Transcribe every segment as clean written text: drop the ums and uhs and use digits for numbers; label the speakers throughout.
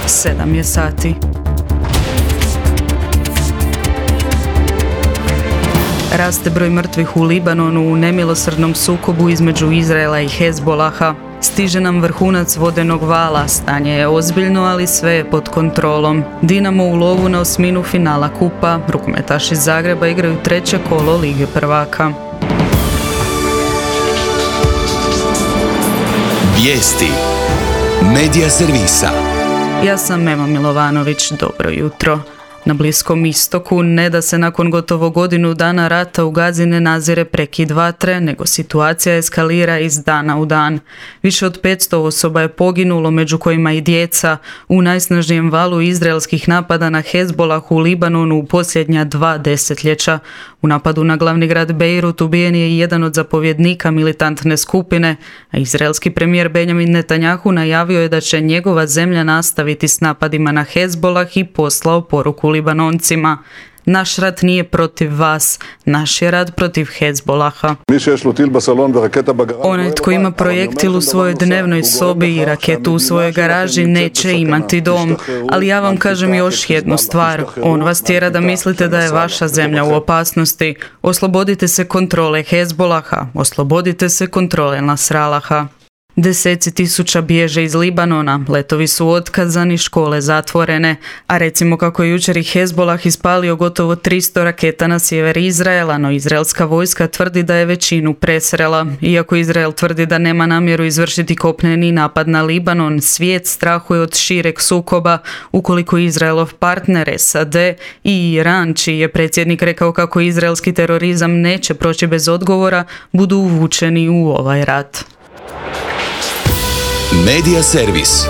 Speaker 1: 7 je sati. Raste broj mrtvih u Libanonu u nemilosrdnom sukobu između Izraela i Hezbolaha. Stiže nam vrhunac vodenog vala, stanje je ozbiljno, ali sve je pod kontrolom. Dinamo u lovu na osminu finala kupa, rukometaši iz Zagreba igraju treće kolo Lige prvaka.
Speaker 2: Vijesti Medija servisa.
Speaker 1: Ja sam Ema Milovanović, dobro jutro. Na Bliskom istoku ne da se nakon gotovo godinu dana rata u Gazi ne nazire prekid vatre, nego situacija eskalira iz dana u dan. Više od 500 osoba je poginulo, među kojima i djeca, u najsnažnijem valu izraelskih napada na Hezbolah u Libanonu u posljednja 2 desetljeća. U napadu na glavni grad Bejrut ubijen je i jedan od zapovjednika militantne skupine, a izraelski premijer Benjamin Netanjahu najavio je da će njegova zemlja nastaviti s napadima na Hezbolah i poslao poruku Libanoncima. Naš rat nije protiv vas, naš je rat protiv Hezbolaha. Onaj tko ima projektil u svojoj dnevnoj sobi i raketu u svojoj garaži neće imati dom, ali ja vam kažem još jednu stvar, on vas tjera da mislite da je vaša zemlja u opasnosti. Oslobodite se kontrole Hezbolaha, oslobodite se kontrole Nasralaha. Deseci tisuća bježe iz Libanona, letovi su otkazani, škole zatvorene, a recimo kako je jučer i Hezbolah ispalio gotovo 300 raketa na sjever Izraela, no izraelska vojska tvrdi da je većinu presrela. Iako Izrael tvrdi da nema namjeru izvršiti kopneni napad na Libanon, svijet strahuje od šireg sukoba ukoliko Izraelov partner SAD i Iran, čiji je predsjednik rekao kako izraelski terorizam neće proći bez odgovora, budu uvučeni u ovaj rat.
Speaker 2: Medija servis.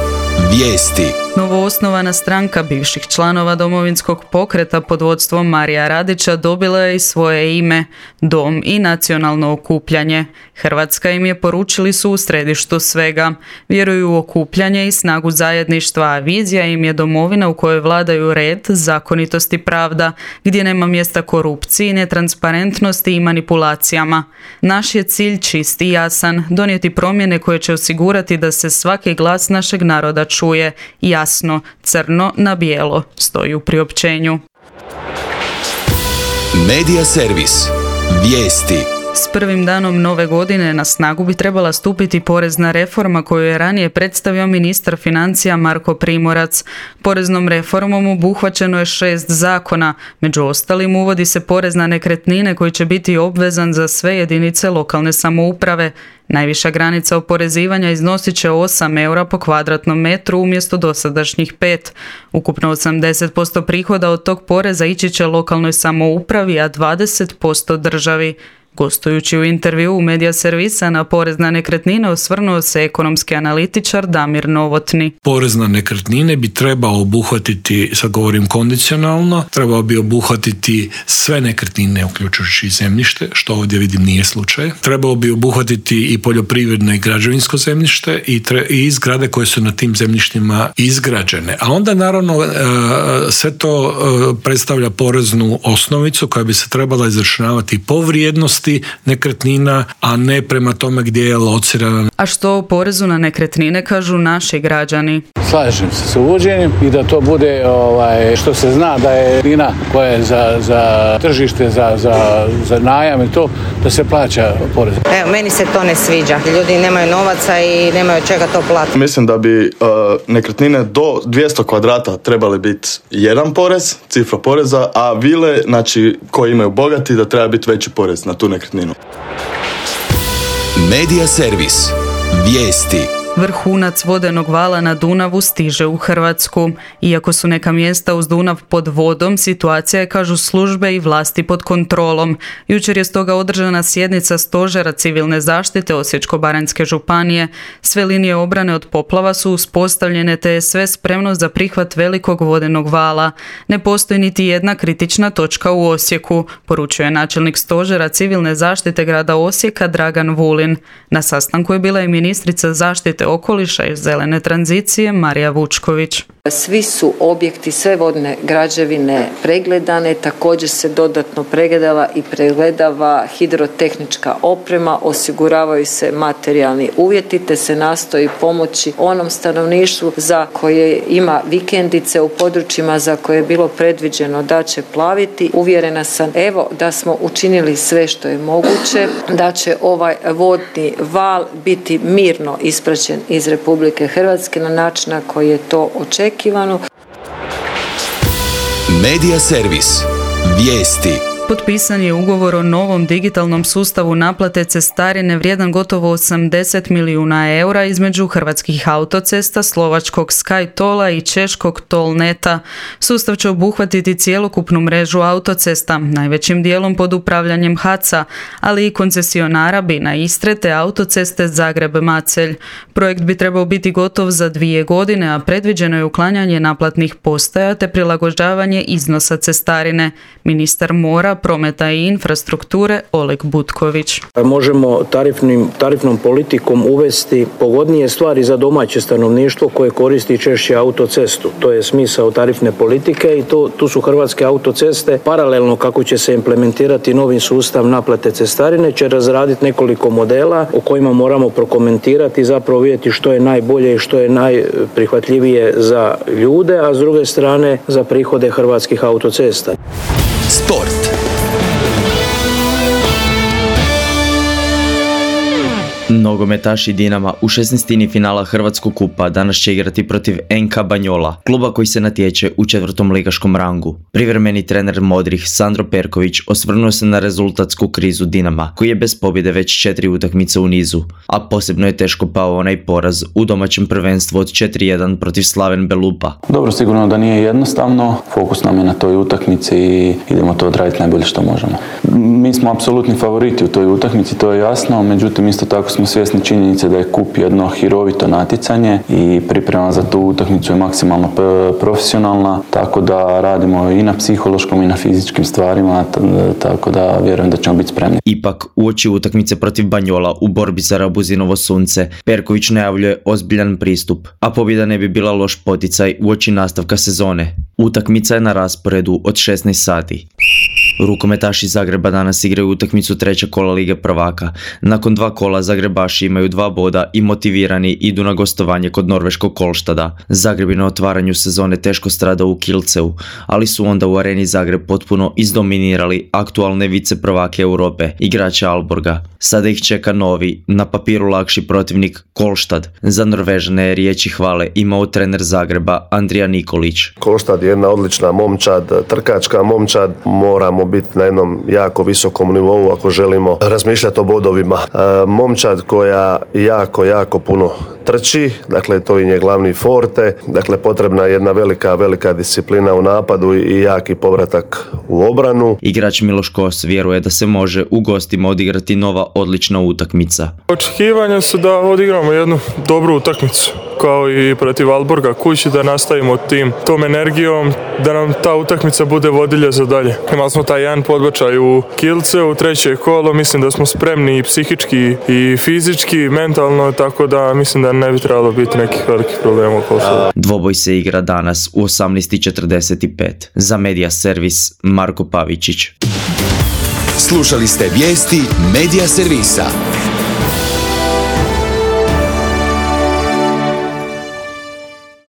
Speaker 2: Vijesti.
Speaker 1: Novoosnovana stranka bivših članova Domovinskog pokreta pod vodstvom Marija Radića dobila je i svoje ime, Dom i nacionalno okupljanje. Hrvatska im je, poručili su, u središtu svega. Vjeruju u okupljanje i snagu zajedništva, a vizija im je domovina u kojoj vladaju red, zakonitost i pravda, gdje nema mjesta korupciji, netransparentnosti i manipulacijama. Naš je cilj čist i jasan, donijeti promjene koje će osigurati da se svaki glas našeg naroda čuje, jasno, crno na bijelo, stoji u priopćenju.
Speaker 2: Medija servis. Vijesti.
Speaker 1: S prvim danom nove godine na snagu bi trebala stupiti porezna reforma koju je ranije predstavio ministar financija Marko Primorac. Poreznom reformom obuhvaćeno je 6 zakona. Među ostalim uvodi se porez na nekretnine koji će biti obvezan za sve jedinice lokalne samouprave. Najviša granica oporezivanja iznosit će 8 eura po kvadratnom metru umjesto dosadašnjih 5. Ukupno 80% prihoda od tog poreza ići će lokalnoj samoupravi, a 20% državi. Gostujući u intervju u Medija servisa na porez na nekretnine osvrnuo se ekonomski analitičar Damir Novotni.
Speaker 3: Porez na nekretnine bi trebao obuhvatiti, sad govorim kondicionalno, trebao bi obuhvatiti sve nekretnine uključujući zemljište, što ovdje vidim nije slučaj. Trebao bi obuhvatiti i poljoprivredno i građevinsko zemljište i zgrade koje su na tim zemljištima izgrađene. A onda naravno sve to predstavlja poreznu osnovicu koja bi se trebala izračunavati po vrijednosti nekretnina, a ne prema tome gdje je locirana.
Speaker 1: A što o porezu na nekretnine kažu naši građani?
Speaker 4: Slažem se s uvođenjem i da to bude što se zna da je nekretnina koja je za tržište, za najam i to, da se plaća porez.
Speaker 5: Evo, meni se to ne sviđa. Ljudi nemaju novaca i nemaju čega to platiti.
Speaker 6: Mislim da bi nekretnine do 200 kvadrata trebali biti jedan porez, cifra poreza, a vile, znači koji imaju bogati, da treba biti veći porez na tu nekretninu.
Speaker 2: Medija servis. Vijesti.
Speaker 1: Vrhunac vodenog vala na Dunavu stiže u Hrvatsku. Iako su neka mjesta uz Dunav pod vodom, situacija je, kažu službe i vlasti, pod kontrolom. Jučer je stoga održana sjednica Stožera civilne zaštite Osječko-baranjske županije. Sve linije obrane od poplava su uspostavljene, te je sve spremno za prihvat velikog vodenog vala. Ne postoji niti jedna kritična točka u Osijeku, poručuje načelnik Stožera civilne zaštite grada Osijeka Dragan Vulin. Na sastanku je bila i ministrica zaštite zaštite okoliša i zelene tranzicije Marija Vučković.
Speaker 7: Svi su objekti, sve vodne građevine pregledane, također se dodatno pregledala i pregledava hidrotehnička oprema, osiguravaju se materijalni uvjeti te se nastoji pomoći onom stanovništvu za koje ima vikendice u područjima za koje je bilo predviđeno da će plaviti. Uvjerena sam da smo učinili sve što je moguće, da će ovaj vodni val biti mirno ispraćen iz Republike Hrvatske na način na koji je to očekivano.
Speaker 2: Medija servis. Vijesti.
Speaker 1: Potpisan je ugovor o novom digitalnom sustavu naplate cestarine vrijedan gotovo 80 milijuna eura između Hrvatskih autocesta, slovačkog SkyTolla i češkog Tollneta. Sustav će obuhvatiti cjelokupnu mrežu autocesta, najvećim dijelom pod upravljanjem HAC-a, ali i koncesionara Bina Istre te autoceste Zagreb-Macelj. Projekt bi trebao biti gotov za 2 godine, a predviđeno je uklanjanje naplatnih postaja te prilagođavanje iznosa cestarine. Ministar mora, prometa i infrastrukture Oleg Butković.
Speaker 8: Možemo tarifnom politikom uvesti pogodnije stvari za domaće stanovništvo koje koristi češće autocestu. To je smisao tarifne politike i tu su Hrvatske autoceste paralelno kako će se implementirati novi sustav naplate cestarine, će razraditi nekoliko modela o kojima moramo prokomentirati i zapravo vidjeti što je najbolje i što je najprihvatljivije za ljude, a s druge strane za prihode Hrvatskih autocesta.
Speaker 2: Sport.
Speaker 9: Nogometaši Dinama u 16. finala Hrvatskog kupa danas će igrati protiv NK Banjola, kluba koji se natječe u 4. ligaškom rangu. Privremeni trener Modrih Sandro Perković osvrnuo se na rezultatsku krizu Dinama, koji je bez pobjede već 4 utakmice u nizu, a posebno je teško pao onaj poraz u domaćem prvenstvu od 4-1 protiv Slaven Belupa.
Speaker 10: Dobro, sigurno da nije jednostavno, fokus nam je na toj utakmici i idemo to odraditi najbolje što možemo. Mi smo apsolutni favoriti u toj utakmici, to je jasno, međutim isto tako smo svjesni činjenice da je kup jedno hirovito natjecanje i priprema za tu utakmicu je maksimalno profesionalna, tako da radimo i na psihološkom i na fizičkim stvarima, tako da vjerujem da ćemo biti spremni.
Speaker 9: Ipak, uoči utakmice protiv Banjola u borbi za Rabuzinovo sunce, Perković najavljuje ozbiljan pristup, a pobjeda ne bi bila loš poticaj uoči nastavka sezone. Utakmica je na rasporedu od 16 sati. Rukometaši Zagreba danas igraju utakmicu 3. kola Lige prvaka. Nakon 2 kola Zagrebaši imaju 2 boda i motivirani idu na gostovanje kod norveškog Kolštada. Zagreb je na otvaranju sezone teško stradao u Kielceu, ali su onda u areni Zagreb potpuno izdominirali aktualne vice prvake Europe, igrače Aalborga. Sada ih čeka novi, na papiru lakši protivnik Kolštad. Za Norvežane je riječi hvale imao trener Zagreba Andrija Nikolić.
Speaker 11: Kolštad je jedna odlična momčad, trkačka momčad, moramo biti na jednom jako visokom nivou ako želimo razmišljati o bodovima. Momčad koja jako puno trči, dakle to je glavni forte, dakle potrebna je jedna velika disciplina u napadu i jaki povratak u obranu.
Speaker 9: Igrač Miloš Kos vjeruje da se može u gostima odigrati nova odlična utakmica.
Speaker 12: Očekivanja su da odigramo jednu dobru utakmicu, kao i protiv Aalborga kući, da nastavimo tom energijom, da nam ta utakmica bude vodilja za dalje. Imali smo taj jedan podbačaj u Kielceu, u 3. kolo, mislim da smo spremni i psihički i fizički, mentalno, tako da mislim da ne bi trebalo biti nekih velikih problema oko toga.
Speaker 9: Dvoboj se igra danas u 18:45. Za Medija servis Marko Pavičić.
Speaker 2: Slušali ste vijesti Medija servisa.